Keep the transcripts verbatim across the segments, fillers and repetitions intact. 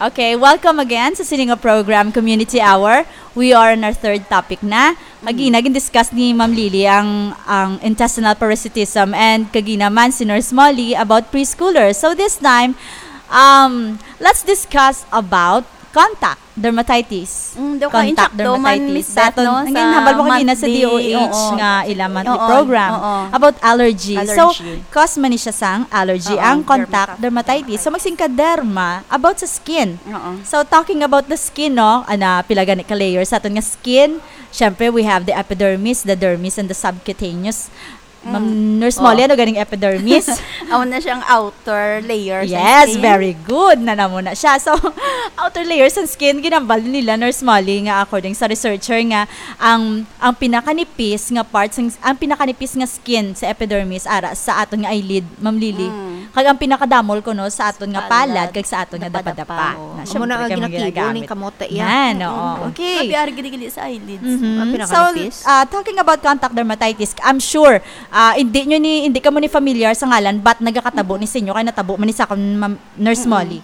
Okay, welcome again sa sini nga program, Community Hour. We are on our third topic na. Kagina, gin-discuss ni Ma'am Lily ang, ang intestinal parasitism, and kagina man si Nurse Molly about preschoolers. So this time, um, let's discuss about contact dermatitis. Mm, daw ka Contact insakto man, dermatitis. Miss Beth, Daton, no, ang sa ginhambal mo kagina sa monthly, D O H oo, nga ila monthly oo, program oo. About allergy. So, allergy. Cause man ni siya sang allergy Oo, ang contact dermatitis. So, magsingka derma about sa skin. Oo. So, talking about the skin, no, ana, pila gani ka layers sa aton nga skin. Syempre, we have the epidermis, the dermis, and the subcutaneous. Ma'am Mm. Nurse Oh. Molly, ano ganing epidermis? Amo na siyang outer layer sa Yes, skin. Very good. Na namo na siya. So, outer layer sa skin, ginambal nila, Nurse Molly, nga according sa researcher nga ang, ang pinakanipis nga part, sang, ang pinakanipis nga skin sa epidermis, ara, sa aton nga eyelid, Ma'am Lily. Mm. Kag ang pinakadamol kuno sa aton nga palad, Palad. Kag sa aton nga Dapadapa. Dapadapa. Oh. Na, Amo na syempre, ang kay mga ginakibo ginagamit. Ning kamote, iya. Yan, Mm-mm. oo. Okay. Grabe, ari gini-gini sa eyelids. Mhm. Ang So, pinakanipis. Ah, talking about contact dermatitis, I'm sure, ah, hindi nyo ni, hindi ka mo ni familiar sa ngalan, but nagakatabo ni sa inyo, kay natabo man ni sa akon, Ma'am Nurse Mm-mm. Molly.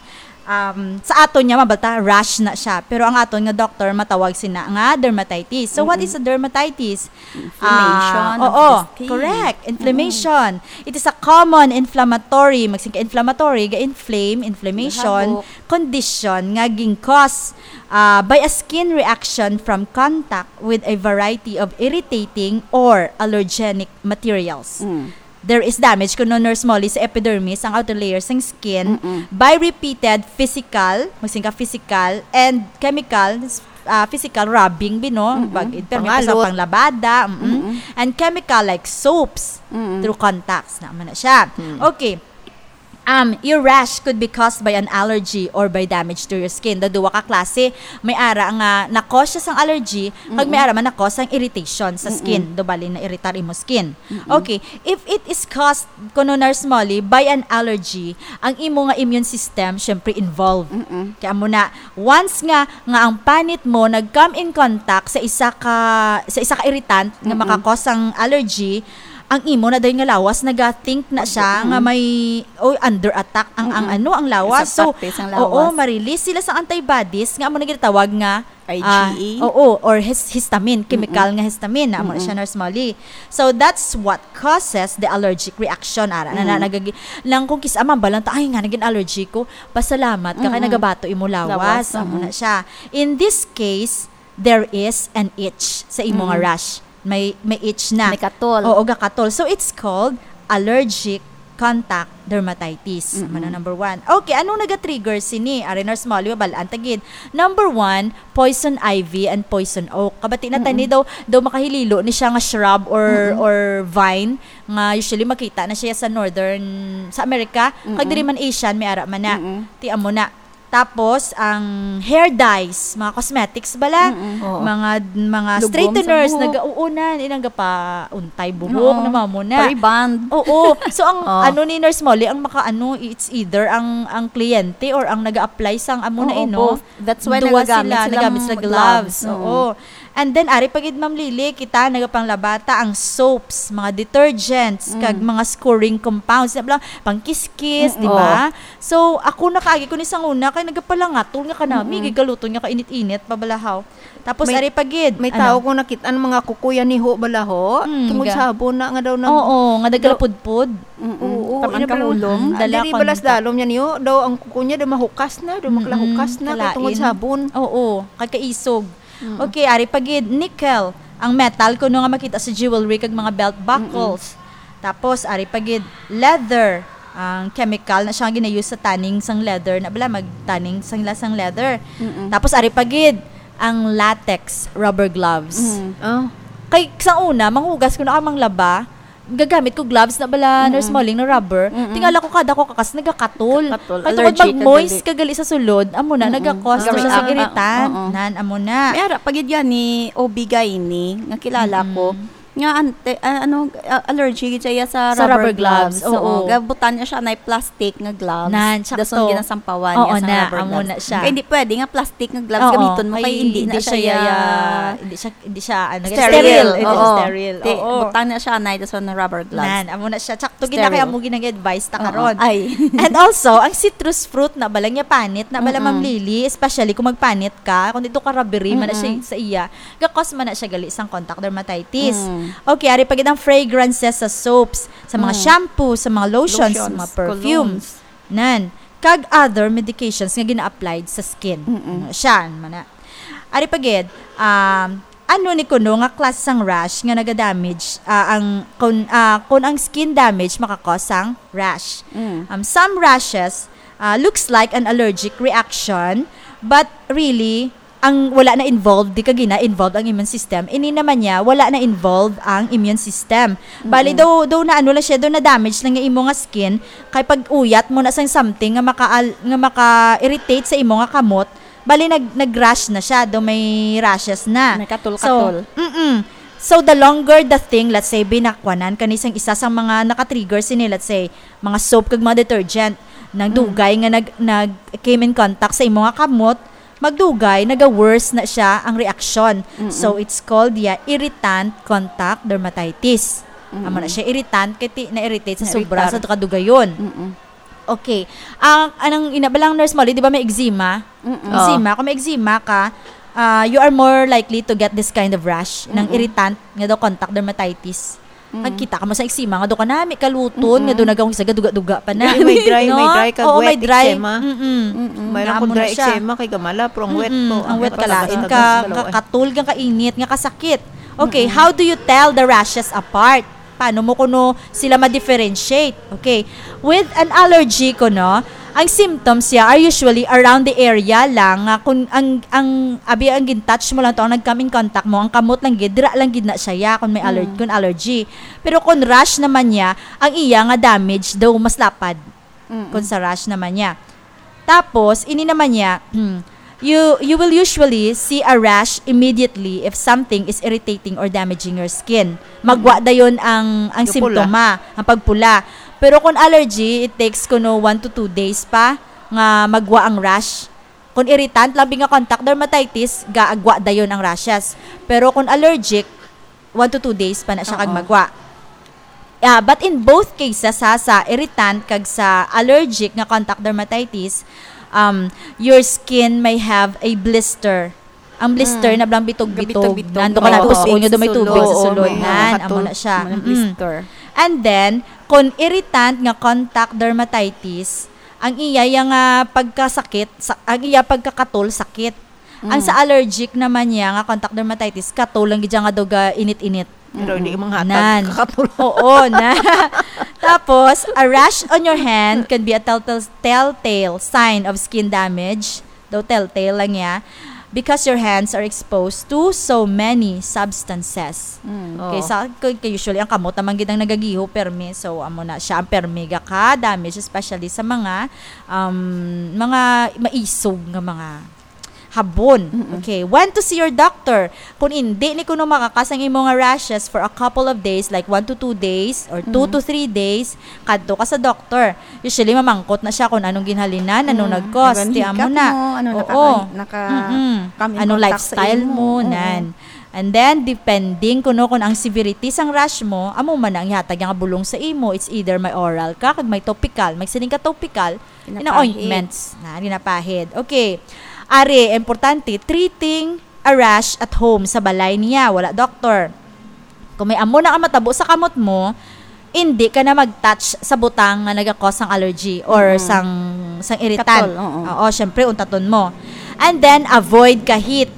Um, sa aton niya, mabalta, rash na siya. Pero ang aton nga doktor, matawag sina nga dermatitis. So, what Mm-mm. is a dermatitis? Inflammation Ah, of oo, the skin. Correct. Inflammation. Mm-mm. It is a common inflammatory, magsingka inflammatory, ga-inflame, inflammation, Gahabok. Condition nga gin-cause, ah, by a skin reaction from contact with a variety of irritating or allergenic materials. Mm. There is damage kuno, Nurse Molly, sa epidermis, ang outer layer sang skin, Mm-mm. by repeated physical, magsingka physical, and chemical, ah, physical rubbing, bino, Mm-mm. bag, permi pa sa Pangalot. Panglabada, mm-mm. Mm-mm. And chemical like soaps Mm-mm. through contacts, na man na siya. Mm. Okay. Um, your rash could be caused by an allergy or by damage to your skin. Daw duwa ka klase, may ara nga na-cause siya sang allergy, kag may Mm-mm. ara man na-cause sang irritation sa skin. Mm-mm. Daw bali na-irritar imo skin. Mm-mm. Okay, if it is caused, kuno Nurse Molly, by an allergy, ang imo nga immune system, syempre, involved. Mm-mm. Kaya mo na, once nga, nga ang panit mo nag-come in contact sa isa ka, sa isa ka irritant nga Mm-mm. maka-cause ang allergy, ang imo na dayon nga lawas, naga-think na siya Mm-mm. nga may, oh, under attack ang, ang Mm-mm. ano, ang lawas. Sa So, parte sang oo, lawas. Ma-release sila sa antibodies nga amo na ginatawag nga, I G E? ah, oo, or his-, histamine, chemical Mm-mm. nga histamine, na amo na Mm-mm. siya, Nurse Molly. So, that's what causes the allergic reaction. Ara, na, na, Mm-mm. nagagi-, lang kung kis-, amang balang ta, "Ay, nga, naging allergy ko." Pasalamat ka kay Mm-mm. nagabato imo lawas. Lawas, Amo mm-mm. na siya. In this case, there is an itch sa imo nga Mm. rash. May, may itch na. May katol. Oo, gakatol. So, it's called allergic contact dermatitis. Mm-mm. Ano, number one. Okay, ano naga-trigger sini? Ari, Nurse Molly, mabalaan ta gid. Number one, poison ivy and poison oak. Kabati na tani Mm-mm. daw, daw makahililo ni siya nga shrub or, Mm-mm. or vine nga usually makita na siya sa northern, sa America. Kag Mm-mm. diri man Asian, may ara man na. Mm-mm. Ti amo na. Tapos, ang hair dyes, mga cosmetics bala, Mm-mm. Oo. mga, mga Lugom sa straighteners, buhok. naga-, oo na, ilang gapauntay buhok, Oo. na mamo na. Pa-rebond. Oo. So, ang Oh. ano ni Nurse Molly, ang maka-, ano, it's either ang, ang kliyente or ang nag-a-apply sang amo na, Oo, eh, no? both. That's why Duwa nagagamit sila, silang nagamit sila gloves. gloves. Oo. Oo. And then, ari pa gid, Ma'am Lily, kita nagapanglabata ang soaps, mga detergents, kag Mm. mga scouring compounds, na bala, pangkiskis, Mm, di ba? oo. So, ako nakaagi ko ni sang una, kay nagapalangatol nga kanami, Mm-mm. gigaluton nga kainit-init, pabalahaw. Tapos, May, ari pa gid, may ano? tao kong nakit-an, mga kukuya ni ho, balaho, Mm, tungod ga- sa sabon na nga daw nag- Oo, nga daw- nagkalapudpod. Mm-mm. Oo, Taman ina ka pala, ulong. Mm, ah, dala diri balas kontak. dalom niya niyo, daw ang kuko niya, daw mahukas na, daw Mm-mm. makalahukas na, kay tungod Kalain. sabon. Oo, kay kaisog. Mm. Okay, ari pa gid, nickel. Ang metal kuno nga makita sa jewelry kag mga belt buckles. Mm-mm. Tapos, ari pa gid, leather. Ang chemical na siya nga gina-use sa tanning sang leather. Na bala, mag-tanning sang la-, sang leather. Mm-mm. Tapos, ari pa gid, ang latex rubber gloves. Mm. Oh. Kay, sa una, manghugas ko na ka manglaba, gagamit ko gloves na bala, Mm-mm. Nurse Molly, na rubber. Mm-mm. Tingala ko kada ko kakas, nagakatol. Kakatol. Kay tungod Allergic ka mag-moist gali. ka gali sa sulod, amo na, Mm-mm. nagakos na siya sa Nag-react. irritant. Oo. Nan, amo na. May ara pa gid yan ni O B gynae, nga kilala ko. Mm-mm. Nga ante, ah, ano, ah, allergy gid siya sa Sa rubber rubber gloves, gloves, oo. oo. Gabutan niya siya na plastic nga gloves. Nan, Dason sakto. ginasampawan Oo, niya sa na, rubber amo gloves. na siya. Kaya hindi pwede nga plastic nga gloves Oo, gamiton mo kay kay hindi na hindi siya siya ya-, ya-, hindi siya, hindi siya, ano, Sterile. sterile. Hindi siya Oo. sterile. Ti-, Oo. butang na siya na dason na rubber gloves. Nan, amo na siya. Sakto, gid na kay Sterile. amo ginag-advise ta Oo. karon. Ay. And also, ang citrus fruit na bala niya panit, na bala, Mm-mm. Ma'am Lily, especially kung magpanit ka, kung dito ka rubbery man na siya Mm-mm. sa iya, gakos man na siya gali sang contact dermatitis. Mm. Okay, ari pa gid ang fragrances sa soaps, sa mga Mm. shampoo, sa mga lotions, Lotions, mga perfumes. colognes. Nan, kag other medications nga gina-applied sa skin. Mm-mm. Ano siya, man na. Ari pa gid, um, ano ni kuno nga klase sang rash nga naga-damage, ah, ang, kun, ah, kun ang skin damage makakos sang rash? Mm. Um, some rashes, ah, looks like an allergic reaction, but really, ang wala na involved, di ka gina-involved ang immune system. Ini naman niya, wala na involved ang immune system. Bali, Mm-mm. daw, daw na ano lang siya, daw na damage lang nga imo nga skin, kay pag-uyat mo na sang something nga maka-, nga maka-irritate sa imo nga kamot, bali nag-, nag-rash na siya, daw may rashes na. May katol-katol. So, mm-mm. So, the longer the thing, let's say, binakwanan, kani sang isa sang mga naka-trigger sini, let's say, mga soap kag mga detergent, nang Mm. dugay nga nag-, nag-, came in contact sa imo nga kamot, magdugay, naga-worse na siya ang reaksyon. Mm-mm. So, it's called, yeah, irritant contact dermatitis. Amo na Mm-mm. siya, irritant, kay ti-, na-irritate sa sobra sa Na-irritar. kadugayon. Mm-mm. Okay. Ang, anang ina ba lang, Nurse Molly, di ba may eczema? Mm-mm. Eczema, Oh. kung may eczema ka, ah, you are more likely to get this kind of rash, ng Mm-mm. irritant, nga daw contact dermatitis. Mm. Nagkita ka mo sa eczema, nga daw ka nami kaluton, Mm-mm. nga daw nagawang sa gaduga-duga pa na. May, may dry, may No? dry kag Oo, wet may dry. eczema. Mm-mm. Mm-mm. Mayroon Amo akong na dry siya. eczema kay gamala, pero ang wet Mm-mm. ko, Ang ah, wet ka lain, nakatagas-tagas ka, sa balawan. Katol kang kainit, nga kasakit. Okay, Mm-mm. how do you tell the rashes apart? Paano mo kuno sila ma-differentiate? Okay. With an allergy kuno, ang symptoms siya are usually around the area lang nga kung ang, ang abi ang gin-touch mo lang to, ang nag-come in contact mo, ang kamot lang gid, dira lang gid na siya ya, kung may aller-, Mm. kung allergy. Pero kung rash naman niya, ang iya nga damage daw mas lapad. Mm-mm. Kung sa rash naman niya. Tapos, ini naman niya, you, you will usually see a rash immediately if something is irritating or damaging your skin. Magwa Mm. dayon ang, ang Gapula. simptoma, ang pagpula. Pero kung allergy, it takes kuno one to two days pa nga magwa ang rash. Kung irritant, labi nga contact dermatitis, gaagwa dayon ang rashes. Pero kung allergic, one to two days pa na siya kag Oo. magwa. Ah, but in both cases, ha, sa irritant kag sa allergic nga contact dermatitis, um, your skin may have a blister. Ang blister Mm. na blang bitog-bitog. Gabitog-bitog. Nando ka Oo. na tuon nga do may tubig sa Sulod. sulod. Oo. Nan, amo Katol. na siya. Mga Mm-mm. blister. And then, kung irritant nga contact dermatitis, ang iya, iya nga pagkasakit, sa, ang iya pagkakatol, sakit. Ang Mm. sa allergic naman niya nga contact dermatitis, katol lang gid siya nga daw ga init-init. Pero hindi Mm-mm. manghatag Nan. kakatol. Oo, na. Tapos, a rash on your hand can be a telltale, telltale sign of skin damage. Daw telltale lang niya. Because your hands are exposed to so many substances. Mm. Okay, Oo. sa, k-, k-, usually, ang kamot naman gid ang nagagiho, permi. So, amo na siya, ang permi ga ka damage, especially sa mga, um, mga maisog nga mga habon. Mm-mm. Okay. When to see your doctor? Kung hindi ni kuno makakas ang imo nga rashes for a couple of days, like one to two days or two Mm. to three days, kadto ka sa doktor. Usually, mamangkot na siya kung anong ginhalinan, anong Mm. nag-cause. Anong Ti amo hikap na. mo, ano, Oo. naka-, naka-, Mm-mm. come in Anong contact sa lifestyle imo. mo, Oo. nan. And then, depending kuno kung ang severity sang rash mo, amo man ang ihatag nga bulong sa imo. It's either may oral ka, kag may topical. May sining ka topical, Ginapahid. Ina ointments na, ginapahid. Okay. Ari, importante, treating a rash at home, sa balay niya, wala doktor. Kung may amo na ang matabo sa kamot mo, hindi ka na mag-touch sa butang nga nagakos sang allergy or Mm. sang, sang irritant. Katol, oo. Oo, syempre, untaton mo. And then, avoid ka heat.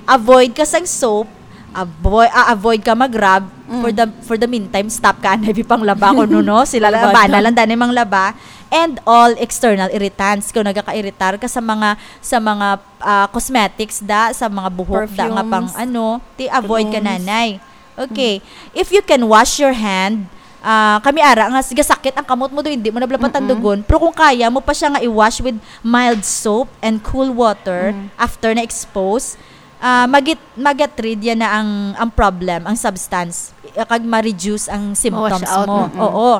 Avoid ka sang soap. Avoid, ah, avoid ka mag-rub. Mm. For the, for the meantime, stop ka anay panglaba kuno, no? Sila lang, Kalabada. bana lang dani manglaba. And all external irritants. Kung nagaka-irritar ka sa mga, sa mga, ah, cosmetics da, sa mga buhok da nga pang Perfumes, ano, ti avoid ka colognes. nanay. Okay. Mm. If you can wash your hand, ah, kami ara nga, sige, sakit ang kamot mo do, hindi mo na bala Mm-mm. patandugon. Pero kung kaya mo pa siya nga i-wash with mild soap and cool water Mm. after na-expose, Ah, magit-, magatrid yan na ang, ang problem, ang substance, eh, kag ma-reduce ang symptoms Mawash out, mo. Mm-mm. Oo.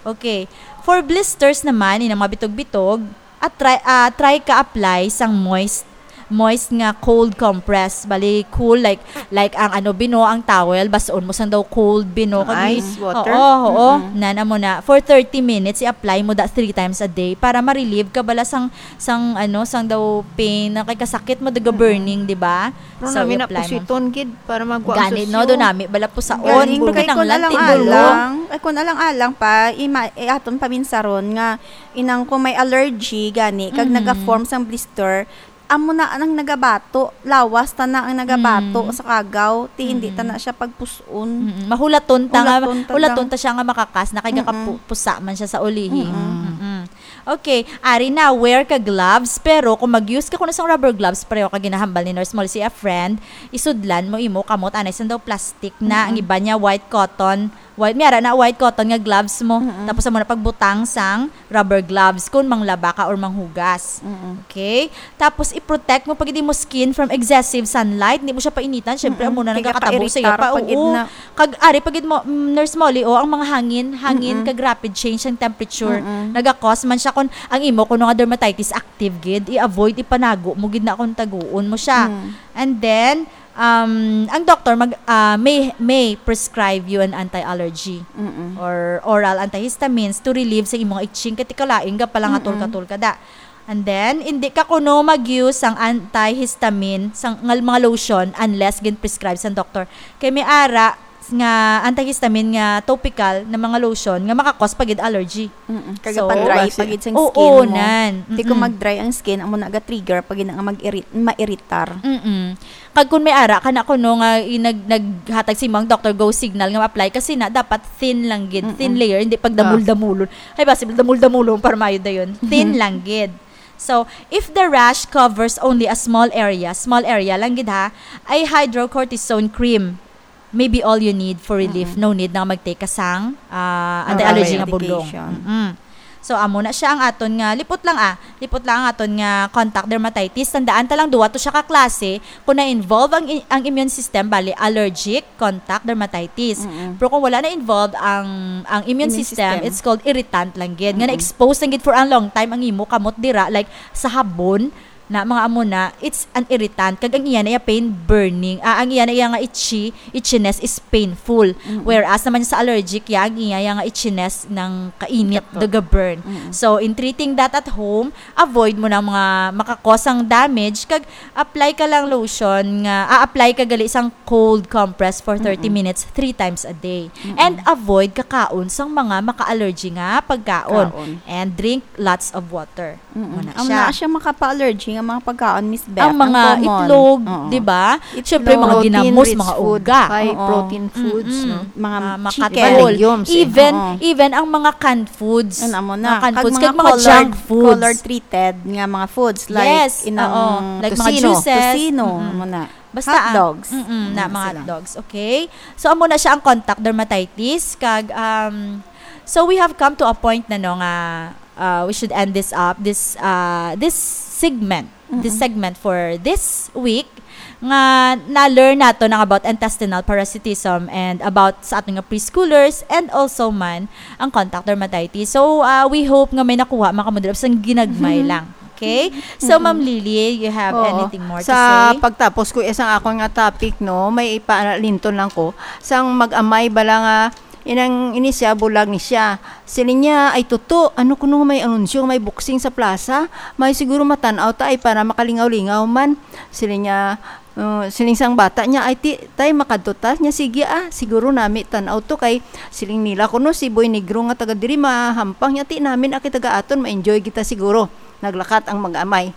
Okay. For blisters naman, inang mga bitog-bitog, at try, ah, try ka apply sang moist, moist nga cold compress. Bali, cool, like, like ang ano, bino, ang towel, basaon mo sang daw cold, bino. Kag i-, ice water? Oo, oo. Mm-mm. Nan, amo na. For thirty minutes, i-apply mo da three times a day para ma-relieve ka bala sang, sang, ano, sang daw pain, na kay kasakit mo, daga Mm-mm. burning, di ba? Pero So, nami na i-apply mo. Pusiton gid para magwa ang Gani, no? susyo. Do nami bala pusaon. Galing Pero kay kinahanglan kun alang-alang, tinulo. Ay, kun alang-alang pa, ima-, eh, aton paminsaron nga inang kung may allergy, gani, kag Mm. naga-form sang blister, amo na ang nagabato. Lawas ta na ang nagabato Mm. sa kagaw. Ti, hindi ta Mm. na siya pagpus-on. Mm-mm. Mahulaton ta nga, Hulaton ta hulaton lang. Ta siya nga makakas na kay Mm-mm. gakapu-, pusa man siya sa ulihi. Mm-mm. Mm-mm. Okay, ari na, wear ka gloves, pero kung mag-use ka kuno sang rubber gloves, pareho ka ginahambal ni Nurse Molly si a friend, isudlan mo imo kamot, anay sang daw plastic na, ang Mm-mm. iba niya white cotton, white, may ara na white cotton nga gloves mo, Mm-mm. tapos amo na pagbutang sang rubber gloves kung manglaba ka or manghugas. Mm-mm. Okay? Tapos, i-protect mo pagid imo skin from excessive sunlight. Hindi mo siya painitan. Siyempre, Mm-mm. amo na Kaya nagakatabo sa iya kairitar pa. Pagid Oo. na. Kag, ari pagid mo, mm, Nurse Molly, oh, ang mga hangin, hangin Mm-mm. kag rapid change ang temperature. Mm-mm. Naga-cause man siya kung ang imo kuno nga dermatitis active gid, i-avoid, ipanago mo gid na kung taguon mo siya. Mm. And then, um, ang doktor mag, ah, may, may prescribe you an anti-allergy Mm-mm. or oral antihistamines to relieve sa imong itching. Kay tikalain ka pala nga Mm-mm. tulka-tulka da. And then, hindi ka kuno mag-use sang antihistamine, sang ngal-, mga lotion, unless gin-prescribe sang doktor. Kay may ara nga antihistamine nga topical na mga lotion nga makakos pa gid allergy. Mm-mm. Kag So, pa-dry Basi. pa gid sang Oo, skin mo. nan. Di kung Mm-mm. mag-dry ang skin, amo na ga-trigger pa gid na nga mag-irit-, mairitar. Mm-mm. Kag kung may ara ka na kuno nga i-, nag-, naghatag sa imo ang doctor go signal nga ma-apply, kasi na dapat thin lang gid, Mm-mm. thin layer, hindi pag Ah. damul-damulon. Ay, basi damul-damulon para maayo dayon. Thin lang gid. So, if the rash covers only a small area, small area lang gid ha, ay hydrocortisone cream may be all you need for relief. Mm-mm. No need na mag-take ka sang, ah, Oral anti-allergy nga budlong. medication. Mm-mm. So, amo na siya ang aton nga, lipot lang, ah, lipot lang ang aton nga contact dermatitis. Tandaan ta lang, duwa to siya ka klase. Kung na-involve ang i-, ang immune system, bali allergic, contact dermatitis. Mm-mm. Pero kung wala na-involve ang, ang immune Immune system, system. it's called irritant lang gid. Nga Mm-mm. na-expose lang gid for a long time ang imo kamot dira, like sa habon, na mga amo na, it's an irritant. Kag ang iya na iya pain burning. Ah, ang iya na iya nga itchy, itchiness is painful. Mm-mm. Whereas naman sa allergic, ya, ang iya ya nga itchiness ng kainit, Kato. daga burn. Mm-mm. So, in treating that at home, avoid mo na mga makakosang damage. Kag apply ka lang lotion nga, ah, apply ka gali sang cold compress for thirty Mm-mm. minutes three times a day. Mm-mm. And avoid kakaon sang mga maka-allergy nga pagkaon. Kaon. And drink lots of water. Mm-mm. Muna Ang siya. naa siya makapa-allergy nga mga pagkaon, Miss Beth. Ang Ang mga common. itlog, Oo. di ba? Itlog. Siyempre, mga Protein ginamos, rich mga food, uga. high Oo. protein foods, Mm-mm. no? Mga Ah, chicken. makakol. Legumes, eh. Even, Oo. even ang mga canned foods. Ano mo na? Mga canned Kag foods, mga kag mga colored, junk foods. colored treated nga mga foods, like Yes, inang oo. Like mga tocino, juices. tocino, Mm-mm. mo na. Basta Hot ang dogs. Mm-mm, na Mm, mga sila. hot dogs, okay? So, amo na siya ang contact dermatitis. Kag, um, so we have come to a point na, no, nga, uh, we should end this up, this, uh, this segment, this Mm-mm. segment for this week, nga na-learn nato nang about intestinal parasitism and about sa aton nga preschoolers and also man ang contact dermatitis. So, uh, we hope nga may nakuha man kamo dira, sang ginagmay lang. Okay? So, Mm-mm. Ma'am Lily, you have Oo. anything more to Sa say? pagtapos ko, isang akon nga topic, no, may ipalinton lang ko. Sang mag-amay bala nga, inang ini siya, bulag ni siya. Siling niya, "Ay, tuto, ano kuno may anunsyo, may boxing sa plaza? May siguro matan-aw ta, ay, para makalingaw-lingaw man." Siling niya, uh, siling sang bata niya, "Ay, ti, tay, makadto ta." Niya, "Sige, ah, siguro nami tan-aw to, kay," siling nila, "kuno si Boy Negro nga taga diri mahampang niya, ti namin, ah, kay taga aton, ma-enjoy kita siguro." Naglakat ang mag-amay.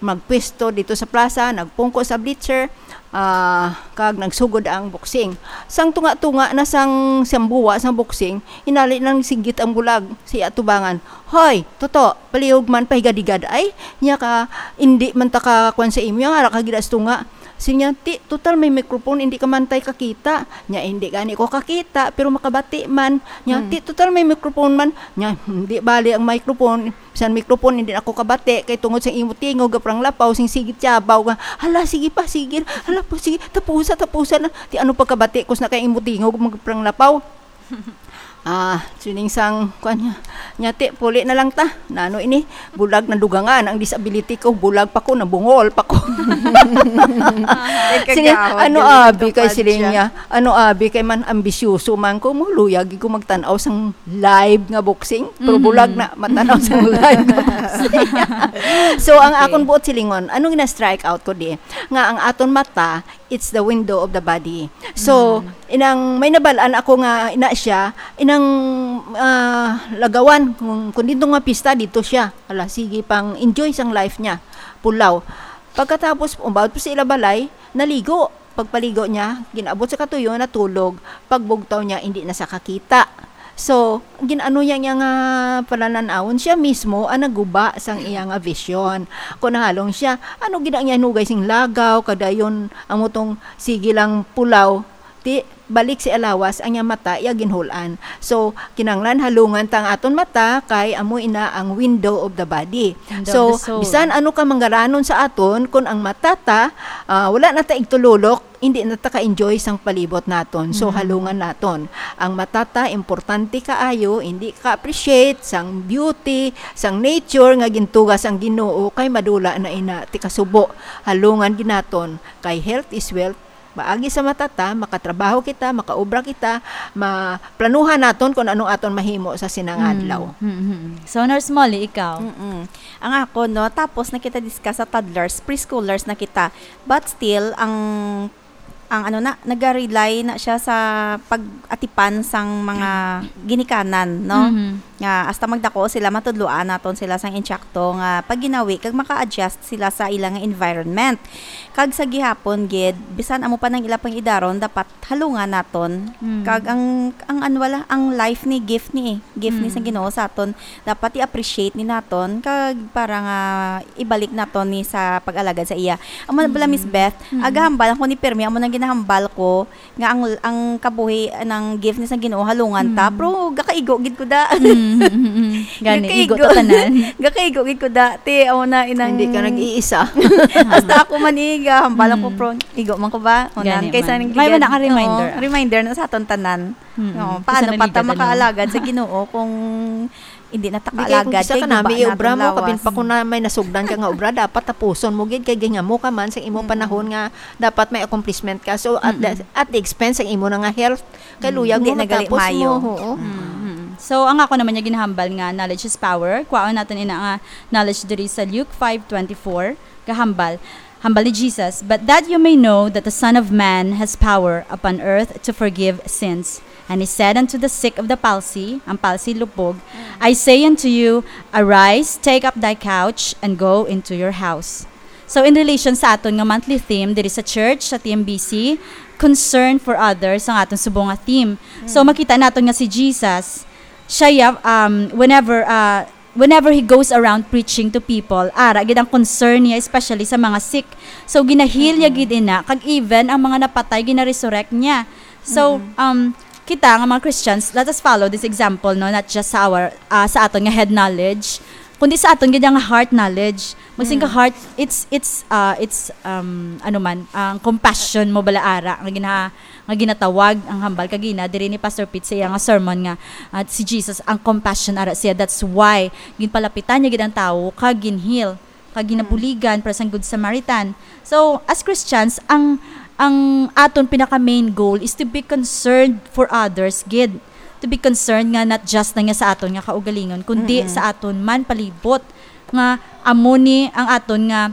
Magpwesto dito sa plaza, nagpungko sa bleacher, ah, kag nagsugod ang boxing. Sang tunga-tunga na sang sambuwa sang boxing, inali nang singgit ang bulag sa iya atubangan. "Hoy, tuto, palihog man, pahigadigad ay. Nya ka, indi man ta ka kuwan sa imo, nga ara ka gid as tunga." Siling niya, "Ti, total may microphone, hindi ka man tay kakita." Nya, "Hindi gani ko kakita, pero makabati man." Nya, Hmm. "Ti, total may microphone man." Nya, "Hindi bali ang microphone. Bisan microphone, hindi na ako kabati. Kay tungod sa imo tingog, parang lapaw, sing sigit yabaw nga, 'Hala, sige pa, sige. Hala po, sige. Tapusa, tapusa na. Ti, ano pagkabati ko sa kay imo tingog, mag-, parang lapaw?" Ah, siling sang, kuwan niya, "Nya, ti, puli na lang ta. Nano ini, bulag na dugangan ang disability ko, bulag pa ko, nabungol pa ko." Ay, Siling, kagahod, "Ano galing abi ka kay pa siling dyan." niya, ano abi kay man ambisyoso man ko, mo luyag ko magtan-aw sang live nga boxing, pero Mhm. bulag na, matanaw sang live nga boxing. So, ang Okay. akon buot silingon, ano nga na-strike out ko di, nga ang aton mata, it's the window of the body. So, Mm. inang may nabalaan ako nga ina siya, inang, ah, lagawan, kung, kung dito nga pista, dito siya. Ala, sige, pang enjoy sang life niya. Pulaw. Pagkatapos, umabot pa sa ila balay, naligo. Pagpaligo niya, ginaabot sa katuyo, natulog. Pagbugtaw niya, hindi na sa kakita. So, gin-ano niya, niya nga palanan-awon, siya mismo ang naguba sang iya nga vision. Kung nahalong siya, ano gid ang iya hinugay sing lagaw, kadayon ang mutong sige lang pulaw, ti balik si alawas ang iya mata, iya ginhul-an. So, kinahanglan halungan ta ang aton mata kay amo ina ang window of the body. Window So, of the soul. bisan ano ka manggaranon sa aton, kung ang mata ta, ah, wala na ta igtululok, hindi na ta ka-enjoy sang palibot naton. So, Mm. halungan naton. Ang mata ta, importante kaayo, hindi ka-appreciate sang beauty, sang nature nga gintuga sang Ginoo, kay madula na ina ti kasubo. Halungan gid naton, kay health is wealth. Maagi sa mata ta, makatrabaho kita, makaobra kita, maplanuhan naton kung anong aton mahimo sa sinang Mm. adlaw. Mm, mm, mm. So, Nurse Molly, ikaw? Mm-mm. Ang ako, no, tapos na kita discuss sa toddlers, preschoolers na kita. But still, ang, ang ano na, naga-rely na siya sa pag-atipan sang mga ginikanan, no? Mhm. Nga hasta magdako sila, matudloan naton sila sang insakto nga pagginawi kag maka-adjust sila sa ila nga environment. Kag sa gihapon gid, bisan amo pa nang ila pang-idaron, dapat halungan naton. Mm. Kag ang, ang ano wala, ang life ni gift ni eh. Gift ni sa Mm. Ginoo sa aton. Dapat i-appreciate ni naton kag para nga ibalik naton ni sa pag-alagad sa iya. Amo na bala, Miss Mm. Beth, Mm. agahambal ako ni Permi, amo nang ginahambal ko nga ang, ang kabuhi, ang gift ni sa Ginoo, halungan ta. Mm. Pero gakaigo gid ko da. Mm, mm, mm, mm. Gani, igo Gakaigo. ta tanan. Gakaigo gid ko da. Ti, amo na inang Hindi ka nag-iisa. Hasta ako man iga, hambal ako, Mm. pro, igo man ko ba? O, Gani nan, kaysa man. nang May gigan-, man ang reminder. oo, reminder na sa aton tanan. Mm. Oo, Kaysa paano pa ta naligadan mo. makaalagad sa Ginoo kung hindi na ta Hindi kay kung kaalagad, kisa kay ka nami, guba na obra atong mo, kapin lawas. pa kung na may nasugdan ka nga obra, dapat tapuson mo gid, kay gihimo ka man sa imong Mm. panahon nga dapat may accomplishment ka. So, at the, Mm-mm. at the expense ang imo na nga health, kay Mm. luyag Hindi mo na gali matapos mayo. mo, oo. Mm, mm. So, ang ako naman nga ginahambal nga knowledge is power, kwaon naton ina nga knowledge diri sa Luke five twenty-four, gahambal, hambal ni Jesus, "But that you may know that the Son of Man has power upon earth to forgive sins." And he said unto the sick of the palsy, ang palsy lupog, Mm. "I say unto you, arise, take up thy couch, and go into your house." So, in relation sa aton nga monthly theme diri sa church, sa T M B C, concern for others ang aton subong nga theme. So, Mm. makita naton nga si Jesus, siya ya, um, whenever, uh, whenever he goes around preaching to people, ara gid ang concern niya, especially sa mga sick. So, ginahil niya Mm-mm. gid ina, kag even ang mga napatay, gina-resurrect niya. So, Mm-mm. um, kita nga mga Christians, let us follow this example, no? Not just sa our, ah, sa aton nga head knowledge, kundi sa aton gid nga heart knowledge. Magsin ka Mm. heart, it's, it's, ah, it's, um, ano man, ang compassion mo bala ara nga gina-, nga ginatawag ang hambal kagina diri ni Pastor Pete sa iya nga sermon nga, ah, si Jesus ang compassion ara siya. That's why ginpalapitan niya gid ang tawo kag ginheal, kag Mm. ginabuligan para sang Good Samaritan. So, as Christians, ang, ang aton pinaka main goal is to be concerned for others gid. To be concerned nga not just na nga sa aton nga kaugalingon, kundi Mm-mm. sa aton man palibot, nga amo ni ang aton nga,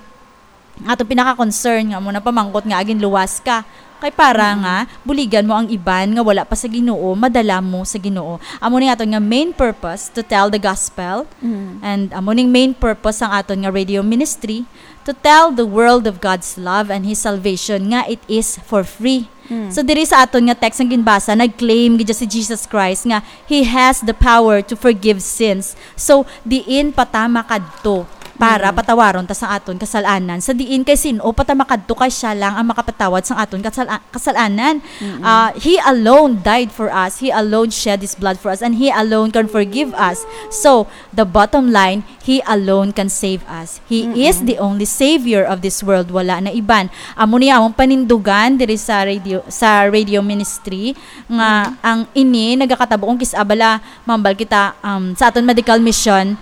aton pinaka-concern nga amo na pamangkot nga aginluwas ka. Kay para Mm-mm. nga buligan mo ang iban nga wala pa sa Ginoo, madala mo sa Ginoo. Amo ni aton nga main purpose, to tell the gospel. Mm. And amo ning main purpose sang aton nga radio ministry, to tell the world of God's love and His salvation, nga it is for free. Mm. So, diri sa aton nga text nga ginbasa, nag-claim gid si Jesus Christ nga He has the power to forgive sins. So, diin pa ta makadto? para Mm. patawaron ta sa aton kasalanan. Sa diin kay sin-o pa ta makadto kay siya lang ang makapatawad sa aton kasala-, kasalanan. Mm-mm. Ah, he alone died for us. He alone shed his blood for us. And he alone can forgive us. So, the bottom line, he alone can save us. He Mm-mm. is the only savior of this world. Wala na iban. Amo ni among panindugan diri sa radio, sa radio ministry nga Mm-mm. ang ini nagakatabo kung kis-a bala mambal kita, um, sa aton medical mission,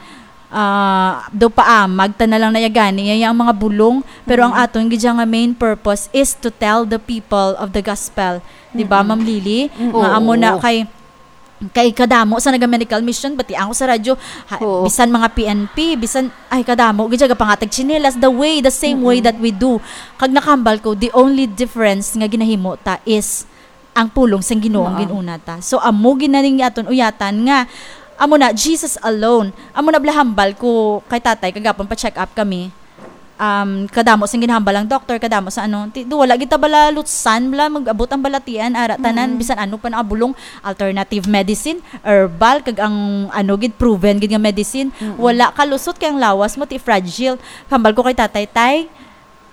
ah, do paamag ta na lang na ya gani, ya ang mga bulong, pero ang Mm. aton gid nga main purpose is to tell the people of the gospel, di ba, Mm-mm. Ma'am Lily? Mm. Nga amo na Oo. kay, kay kadamo sa naga medical mission, batian ko sa radyo, ha, Oo. bisan mga P N P, bisan, ay, kadamo gid siya gapangatag tsinelas, the way, the same way Mm-mm. that we do. Kag nakahambal ko, the only difference nga ginahimo ta is ang pulong sang Ginoo ang Oo. ginuna ta. So, amo gid na ning aton uyatan nga, amo na, Jesus alone. Amo na bala hambal ko kay tatay, kagapon pa-check up kami. Um, kadamo sing ginhambal ang doktor, kadamo sa ano, ti-, do, wala gid ta bala lutsan, bala mag-abot ang balatian, ara, tanan, Mm-mm. bisan ano pa nakabulong, alternative medicine, herbal, kag ang ano gid, proven gid nga medicine, Mm-mm. wala kalusot kay ang lawas mo, ti fragile. Hambal ko kay tatay, tay,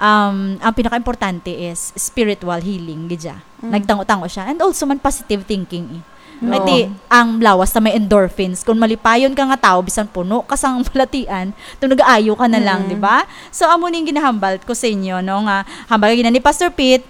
um, ang pinaka-importante is spiritual healing, gid siya. Mm. Nagtango-tango siya. And also man positive thinking, eh. Kay Oo. ti, ang lawas ta may endorphins. Kung malipayon ka nga tao, bisan puno ka sang balatian, to nagaayo ka na lang, Mm. di ba? So, amo ning ginahambal ko sa inyo, no, nga hambal gina ni Pastor Pete,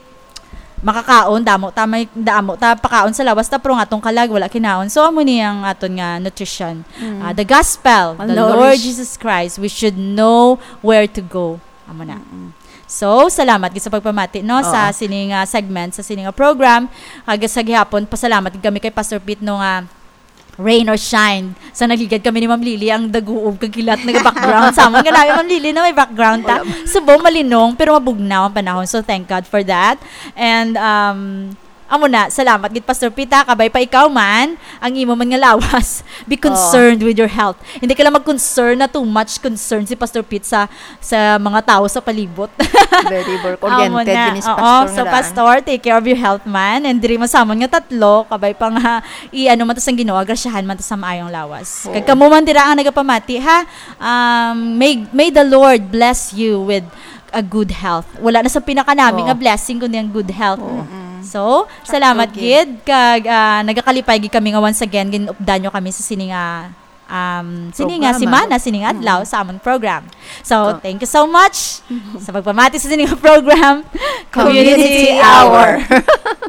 makakaon, damo ta may, damo ta pakaon sa lawas ta, pero nga tong kalag, wala kinaon. So, amo ni ang aton nga nutrition. Mm. Ah, the gospel, Ang the Lord nourish. Jesus Christ, we should know where to go. Amo na. Mm-mm. So, salamat gid sa pagpamati, no, sa Oo. sini nga segment, sa sini nga program. Kag sa gihapon, pasalamat gid kami kay Pastor Pete, no, nga rain or shine. Sa nagligad kami ni Ma'am Lily, ang daguob kag kilat nga background. Sa amon nga namin, Ma'am Lily, na may background ta. Wala. Subo, malinong, pero mabugnaw ang panahon. So, thank God for that. And, um, amo na, salamat gid, Pastor Pete, ha. Kabay pa ikaw man, ang imo man nga lawas. Be Oo. concerned with your health. Hindi ka lang mag-concern na too much concern si Pastor Pete sa, sa mga tao sa palibot. Very work-oriented Amo na. yun si Oo, Pastor so, nga daan. Pastor, take care of your health man. And diri man sa amon nga tatlo, kabay pa nga, i-ano man to sang Ginoo, grasyahan man to sa maayong lawas. Oo. Kag kamo man dira ang nagapamati, ha? Um, may, may the Lord bless you with a good health. Wala na sa pinakanami Oo. nga blessing kundi ang good health. Oo. Mm-mm. So, Sakto salamat gid. gid. Kag, ah, nagakalipay gid kami nga once again, ginupdan nyo kami sa sini nga, um, sini nga Programa. simana, sini nga adlaw Mm. sa amon program. So, Ko- thank you so much sa pagpamati sa sini nga program. Community Community Hour. Hour.